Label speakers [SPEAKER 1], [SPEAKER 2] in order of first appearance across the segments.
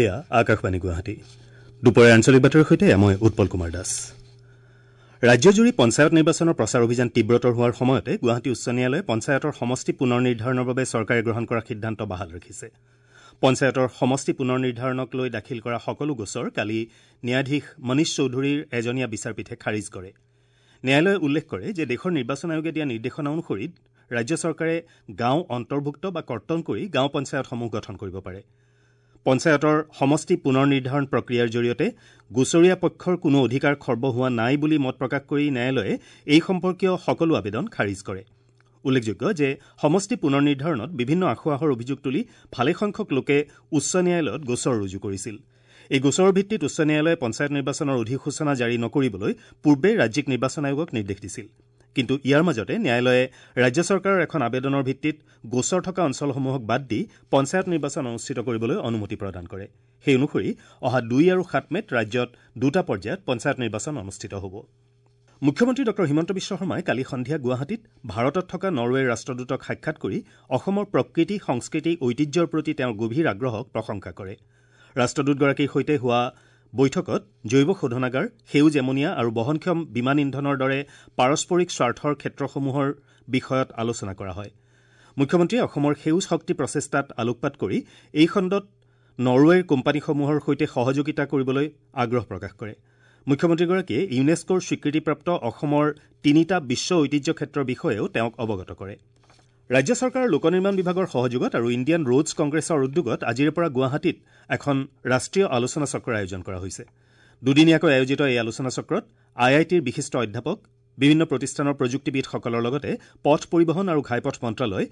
[SPEAKER 1] এয়া আকাশবাণী গুৱাহাটী। দুপৰীয়া আঞ্চলিক বাতৰিৰ সৈতে মই উৎপল কুমাৰ দাস। ৰাজ্যজুৰি পঞ্চায়ত নিৰ্বাচনৰ প্ৰচাৰ অভিযান তীব্ৰতৰ হোৱাৰ সময়তে গুৱাহাটী উচ্চ ন্যায়ালয়ে পঞ্চায়তৰ সমষ্টি পুনৰ নিৰ্ধাৰণৰ বাবে চৰকাৰে গ্ৰহণ কৰা সিদ্ধান্ত বাহাল ৰাখিছে। পঞ্চায়তৰ সমষ্টি পুনৰ নিৰ্ধাৰণক লৈ দাখিল কৰা সকলো গোচৰ কালি ন্যায়াধীশ মনীষ চৌধুৰীৰ এজনীয়া বিচাৰপীঠে খাৰিজ কৰে। ন্যায়ালয়ে উল্লেখ কৰে যে দেশৰ নিৰ্বাচন আয়োগে দিয়া নিৰ্দেশনা অনুসৰি ৰাজ্য চৰকাৰে গাঁও অন্তৰ্ভুক্ত বা কৰ্তন কৰি গাঁও পঞ্চায়তসমূহ গঠন কৰিব পাৰে। পঞ্চায়তৰ সমষ্টি পুনৰ নিৰ্ধাৰণ প্ৰক্ৰিয়াৰ জৰিয়তে গোচৰীয়া পক্ষৰ কোনো অধিকাৰ খৰ্ব হোৱা নাই বুলি মত প্ৰকাশ কৰি ন্যায়ালয়ে এই সম্পৰ্কীয় সকলো আবেদন খাৰিজ কৰে। উল্লেখযোগ্য যে সমষ্টি পুনৰ নিৰ্ধাৰণত বিভিন্ন আসোঁৱাহৰ অভিযোগ তুলি ভালেসংখ্যক লোকে উচ্চ ন্যায়ালয়ত গোচৰ ৰুজু কৰিছিল। এই গোচৰৰ ভিত্তিত উচ্চ ন্যায়ালয়ে পঞ্চায়ত নিৰ্বাচনৰ অধিসূচনা জাৰি নকৰিবলৈ পূৰ্বে ৰাজ্যিক নিৰ্বাচন আয়োগক নিৰ্দেশ দিছিল। কিন্তু ইয়াৰ মাজতে ন্যায়ালয়ে ৰাজ্য চৰকাৰৰ এখন আবেদনৰ ভিত্তিত গোচৰ থকা অঞ্চলসমূহক বাদ দি পঞ্চায়ত নিৰ্বাচন অনুষ্ঠিত কৰিবলৈ অনুমতি প্ৰদান কৰে। সেই অনুসৰি অহা 2 আৰু 7 মে'ত ৰাজ্যত দুটা পৰ্যায়ত পঞ্চায়ত নিৰ্বাচন অনুষ্ঠিত হ'ব। মুখ্যমন্ত্ৰী ডঃ হিমন্ত বিশ্ব শৰ্মাই কালি সন্ধিয়া গুৱাহাটীত ভাৰতত থকা নৰৱেৰ ৰাষ্ট্ৰদূতক সাক্ষাৎ কৰি অসমৰ প্ৰকৃতি, সংস্কৃতি, ঐতিহ্যৰ প্ৰতি তেওঁৰ গভীৰ আগ্ৰহক প্ৰশংসা কৰে। ৰাষ্ট্ৰদূতগৰাকীৰ সৈতে হোৱা বৈঠকত জৈৱ শোধনাগাৰ, সেউজ এমনিয়া আৰু বহনক্ষম বিমান ইন্ধনৰ দৰে পাৰস্পৰিক স্বাৰ্থৰ ক্ষেত্ৰসমূহৰ বিষয়ত আলোচনা কৰা হয়। মুখ্যমন্ত্ৰীয়ে অসমৰ সেউজ শক্তি প্ৰচেষ্টাত আলোকপাত কৰি এই খণ্ডত নৰৱেৰ কোম্পানীসমূহৰ সৈতে সহযোগিতা কৰিবলৈ আগ্ৰহ প্ৰকাশ কৰে। মুখ্যমন্ত্ৰীগৰাকীয়ে ইউনেস্কোৰ স্বীকৃতিপ্ৰাপ্ত অসমৰ 3টা বিশ্ব ঐতিহ্য ক্ষেত্ৰৰ বিষয়েও তেওঁক অৱগত কৰে। ৰাজ্য চৰকাৰৰ লোক নিৰ্মাণ বিভাগৰ সহযোগত আৰু ইণ্ডিয়ান ৰোডছ কংগ্ৰেছৰ উদ্যোগত আজিৰে পৰা গুৱাহাটীত এখন ৰাষ্ট্ৰীয় আলোচনা চক্ৰৰ আয়োজন কৰা হৈছে। দুদিনীয়াকৈ আয়োজিত এই আলোচনা চক্ৰত আই আই টিৰ বিশিষ্ট অধ্যাপক, বিভিন্ন প্ৰতিষ্ঠানৰ প্ৰযুক্তিবিদসকলৰ লগতে পথ পৰিবহণ আৰু ঘাইপথ মন্ত্ৰালয়,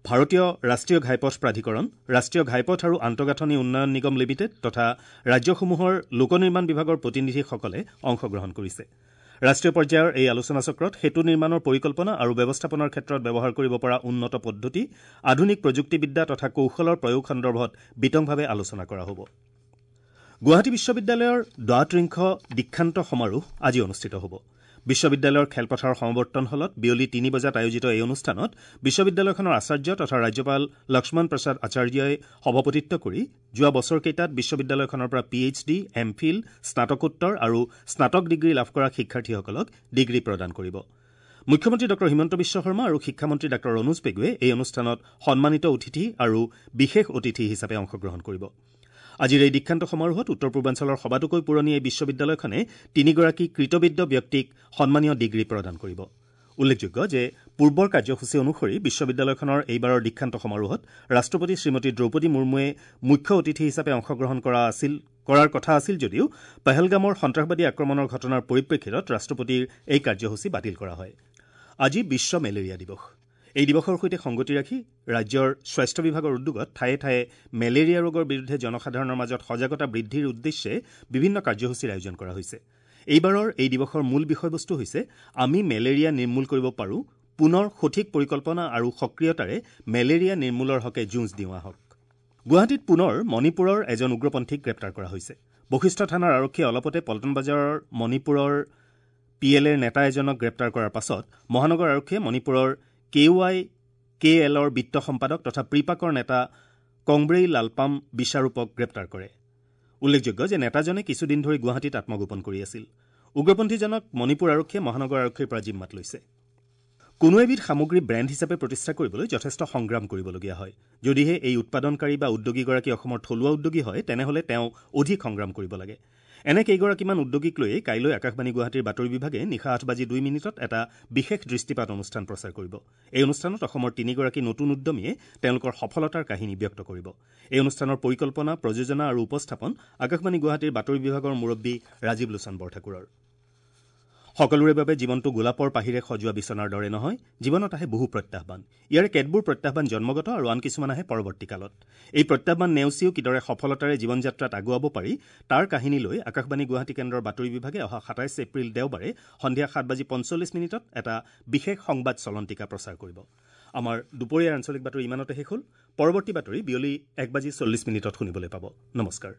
[SPEAKER 1] ভাৰতীয় ৰাষ্ট্ৰীয় ঘাইপথ প্ৰাধিকৰণ, ৰাষ্ট্ৰীয় ঘাইপথ আৰু আন্তঃগাঁথনি উন্নয়ন নিগম লিমিটেড তথা ৰাজ্যসমূহৰ লোক নিৰ্মাণ বিভাগৰ প্ৰতিনিধিসকলে অংশগ্ৰহণ কৰিছে। ৰাষ্ট্ৰীয় পৰ্যায়ৰ এই আলোচনা চক্ৰত সেতু নিৰ্মাণৰ পৰিকল্পনা আৰু ব্যৱস্থাপনাৰ ক্ষেত্ৰত ব্যৱহাৰ কৰিব পৰা উন্নত পদ্ধতি, আধুনিক প্ৰযুক্তিবিদ্যা তথা কৌশলৰ প্ৰয়োগ সন্দৰ্ভত বিতংভাৱে আলোচনা কৰা হ'ব। গুৱাহাটী বিশ্ববিদ্যালয়ৰ দ্বাত্ৰিংশ দীক্ষান্ত সমাৰোহ আজি অনুষ্ঠিত হ'ব। বিশ্ববিদ্যালয়ৰ খেলপথাৰৰ সমাৱৰ্তন হলত বিয়লি 3 বজাত আয়োজিত এই অনুষ্ঠানত বিশ্ববিদ্যালয়খনৰ আচাৰ্য তথা ৰাজ্যপাল লক্ষ্মণ প্ৰসাদ আচাৰ্যই সভাপতিত্ব কৰি যোৱা বছৰকেইটাত বিশ্ববিদ্যালয়খনৰ পৰা P H D, M Phil, স্নাতকোত্তৰ আৰু স্নাতক ডিগ্ৰী লাভ কৰা শিক্ষাৰ্থীসকলক ডিগ্ৰী প্ৰদান কৰিব। মুখ্যমন্ত্ৰী ডঃ হিমন্ত বিশ্ব শৰ্মা আৰু শিক্ষামন্ত্ৰী ডঃ ৰণোজ পেগুৱে এই অনুষ্ঠানত সন্মানিত অতিথি আৰু বিশেষ অতিথি হিচাপে অংশগ্ৰহণ কৰিব। আজিৰ এই দীক্ষান্ত সমাৰোহত উত্তৰ পূৰ্বাঞ্চলৰ সবাতোকৈ পুৰণি এই বিশ্ববিদ্যালয়খনে 3গৰাকী কৃতবিদ্য ব্যক্তিক সন্মানীয় ডিগ্ৰী প্ৰদান কৰিব। উল্লেখযোগ্য যে পূৰ্বৰ কাৰ্যসূচী অনুসৰি বিশ্ববিদ্যালয়খনৰ এইবাৰৰ দীক্ষান্ত সমাৰোহত ৰাষ্ট্ৰপতি শ্ৰীমতী দ্ৰৌপদী মুৰ্মুৱে মুখ্য অতিথি হিচাপে অংশগ্ৰহণ কৰাৰ কথা আছিল যদিও পহলগামৰ সন্ত্ৰাসবাদী আক্ৰমণৰ ঘটনাৰ পৰিপ্ৰেক্ষিতত ৰাষ্ট্ৰপতিৰ এই কাৰ্যসূচী বাতিল কৰা হয়। আজি বিশ্ব মেলেৰিয়া দিৱস। এই দিৱসৰ সৈতে সংগতি ৰাখি ৰাজ্যৰ স্বাস্থ্য বিভাগৰ উদ্যোগত ঠায়ে ঠায়ে মেলেৰিয়া ৰোগৰ বিৰুদ্ধে জনসাধাৰণৰ মাজত সজাগতা বৃদ্ধিৰ উদ্দেশ্যে বিভিন্ন কাৰ্যসূচীৰ আয়োজন কৰা হৈছে। এইবাৰৰ এই দিৱসৰ মূল বিষয়বস্তু হৈছে আমি মেলেৰিয়া নিৰ্মূল কৰিব পাৰোঁ, পুনৰ সঠিক পৰিকল্পনা আৰু সক্ৰিয়তাৰে মেলেৰিয়া নিৰ্মূলৰ হকে যুঁজ দিওঁ আহক। গুৱাহাটীত পুনৰ মণিপুৰৰ এজন উগ্ৰপন্থীক গ্ৰেপ্তাৰ কৰা হৈছে। বশিষ্ঠ থানাৰ আৰক্ষীয়ে অলপতে পল্টন বজাৰৰ মণিপুৰৰ পি এল এৰ নেতা এজনক গ্ৰেপ্তাৰ কৰাৰ পাছত মহানগৰ আৰক্ষীয়ে মণিপুৰৰ কে ৱাই কে এলৰ বিত্ত সম্পাদক তথা প্ৰিপাকৰ নেতা কংব্ৰেই লালপাম বিশ্বাৰূপক গ্ৰেপ্তাৰ কৰে। উল্লেখযোগ্য যে নেতাজনে কিছুদিন ধৰি গুৱাহাটীত আত্মগোপন কৰি আছিল। উগ্ৰপন্থীজনক মণিপুৰ আৰক্ষীয়ে মহানগৰ আৰক্ষীৰ পৰা জিম্মাত লৈছে। কোনো এবিধ সামগ্ৰী ব্ৰেণ্ড হিচাপে প্ৰতিষ্ঠা কৰিবলৈ যথেষ্ট সংগ্ৰাম কৰিবলগীয়া হয়। যদিহে এই উৎপাদনকাৰী বা উদ্যোগীগৰাকী অসমৰ থলুৱা উদ্যোগী হয়, তেনেহ'লে তেওঁ অধিক সংগ্ৰাম কৰিব লাগে। এনে কেইগৰাকীমান উদ্যোগীক লৈয়ে কাইলৈ আকাশবাণী গুৱাহাটীৰ বাতৰি বিভাগে নিশা 8:02 এটা বিশেষ দৃষ্টিপাত অনুষ্ঠান প্ৰচাৰ কৰিব। এই অনুষ্ঠানত অসমৰ 3গৰাকী নতুন উদ্যমীয়ে তেওঁলোকৰ সফলতাৰ কাহিনী ব্যক্ত কৰিব। এই অনুষ্ঠানৰ পৰিকল্পনা, প্ৰযোজনা আৰু উপস্থাপন আকাশবাণী গুৱাহাটীৰ বাতৰি বিভাগৰ মুৰব্বী ৰাজীৱ লোচন বৰঠাকুৰৰ। সকলোৰে বাবে জীৱনটো গোলাপৰ পাহিৰে সজোৱা বিচনাৰ দৰে নহয়, জীৱনত আহে বহু প্ৰত্যাহ্বান। ইয়াৰে কেতবোৰ প্ৰত্যাহ্বান জন্মগত আৰু আন কিছুমান আহে পৰৱৰ্তী কালত। এই প্ৰত্যাহ্বান নেওচিও কিদৰে সফলতাৰে জীৱন যাত্ৰাত আগুৱাব পাৰি তাৰ কাহিনী লৈ আকাশবাণী গুৱাহাটী কেন্দ্ৰৰ বাতৰি বিভাগে অহা 27 এপ্ৰিল দেওবাৰে সন্ধিয়া 7:45 এটা বিশেষ সংবাদ চলন্তিকা প্ৰচাৰ কৰিব। আমাৰ দুপৰীয়াৰ আঞ্চলিক বাতৰি ইমানতে শেষ হ'ল। পৰৱৰ্তী বাতৰি বিয়লি 1:40 শুনিবলৈ পাব। নমস্কাৰ।